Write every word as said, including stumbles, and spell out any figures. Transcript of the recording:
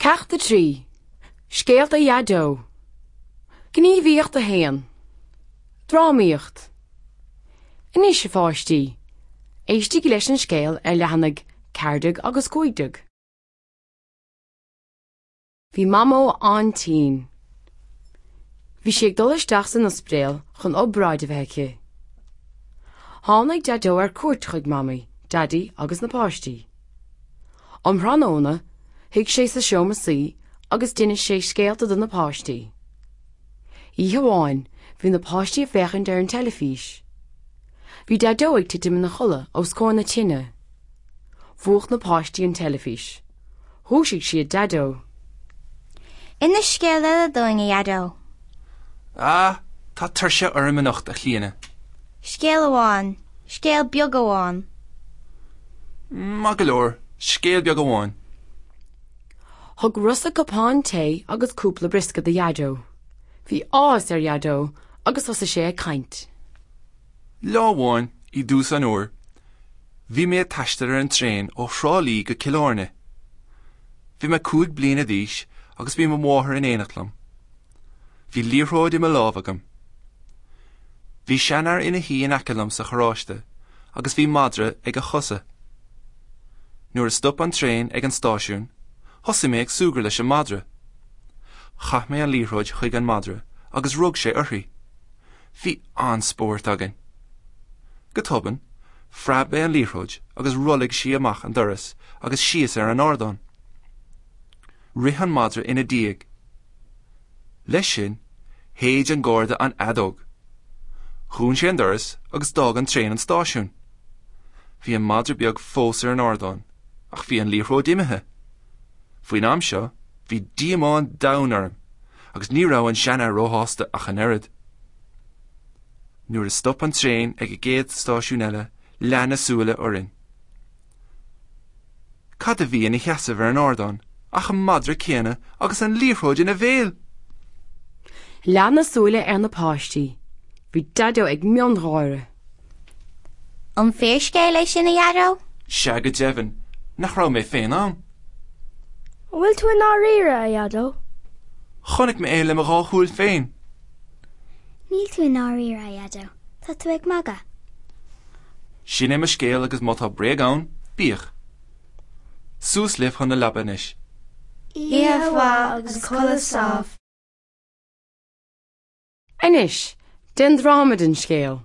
Ceacht a trí. Scéalta Dhaideo. Gníomhaíocht a haon. Drámaíocht. Anois a pháistí, éistigí leis an scéal ar leathanaigh ceathair déag agus cúig déag. Bhí Mamó an-tinn. Bhí sí ag dul isteach san ospidéal chun obráid a bheith aici. Tháinig Daideo ar cuairt chuig Mamaí, Daidí agus na páistí. Um thráthnóna, shuigh sé sa seomra suí agus d'inis sé scéalta do na páistí. Oíche amháin, bhí na páistí ag féachaint ar an teilifís. Bhí Daideo ag titim ina chodladh os comhair na tine. Mhúch na páistí an teilifís. Dhúisigh siad Daideo. Inis scéal eile dúinn, a Dhaideo. Ah, tá tuirse orm anocht, a Chlíona. Scéal amháin, scéal beag amháin. Maith go leor, scéal beag amháin. Thug Rosa cupán tae agus cúpla briosca do Dhaideo. Bhí áthas ar Dhaideo agus thosaigh sé ag caint. Lá amháin i dtús an fhómhair, bhí mé ag taisteal ar an traein ó Thrá Lí go Cill Airne. Bhí mé cúig bliana d'aois agus bhí mo mháthair in éineacht liom. Bhí liathróid i mo lámh agam. Bhí seanfhear ina shuí in aice liom sa charráiste agus bhí madra ag a chosa. Nuair a stop an traein ag an stáisiún, thosaigh mé ag súgradh leis an madra. Chaith mé an liathróid chuig an madra agus rug sé uirthi. Bhí an-spórt againn. Go tobann, phreab mé an liathróid agus rothlaigh sí amach an doras agus síos ar an ardán. Rith an madra ina diaidh. Leis sin, shéid an garda an fheadóg. Dhún sé an doras agus d'fhág an traein an stáisiún. Bhí an madra beag fós ar an ardán, ach bhí an liathróid imithe. Faoin am seo, bhí díomá an domhain orm, agus ní raibh an seanfhear róshásta ach an oiread. Nuair a stop an traein ag an gcéad stáisiún eile, leath na súile orainn. Cad a bhí ina sheasamh ar an ardán ach an madra céanna agus an liathróid ina bhéal. Leath na súile ar na páistí. Bhí Daideo ag miongháire. An fíorscéal é sin a Dhaideo? Sea go deimhin, nach raibh mé féin ann. An bhfuil tú i ndáiríre, a Dhaideo? Chonaic mé é le mo dhá shúil féin. Níl tú i ndáiríre, a Dhaideo. Tá tú ag magadh. Sin é mo scéal agus má tá bréag ann, bíodh. Suas libh chun na leapa anois. Oíche mhaith agus codladh sámh. Anois, déan dráma den scéal.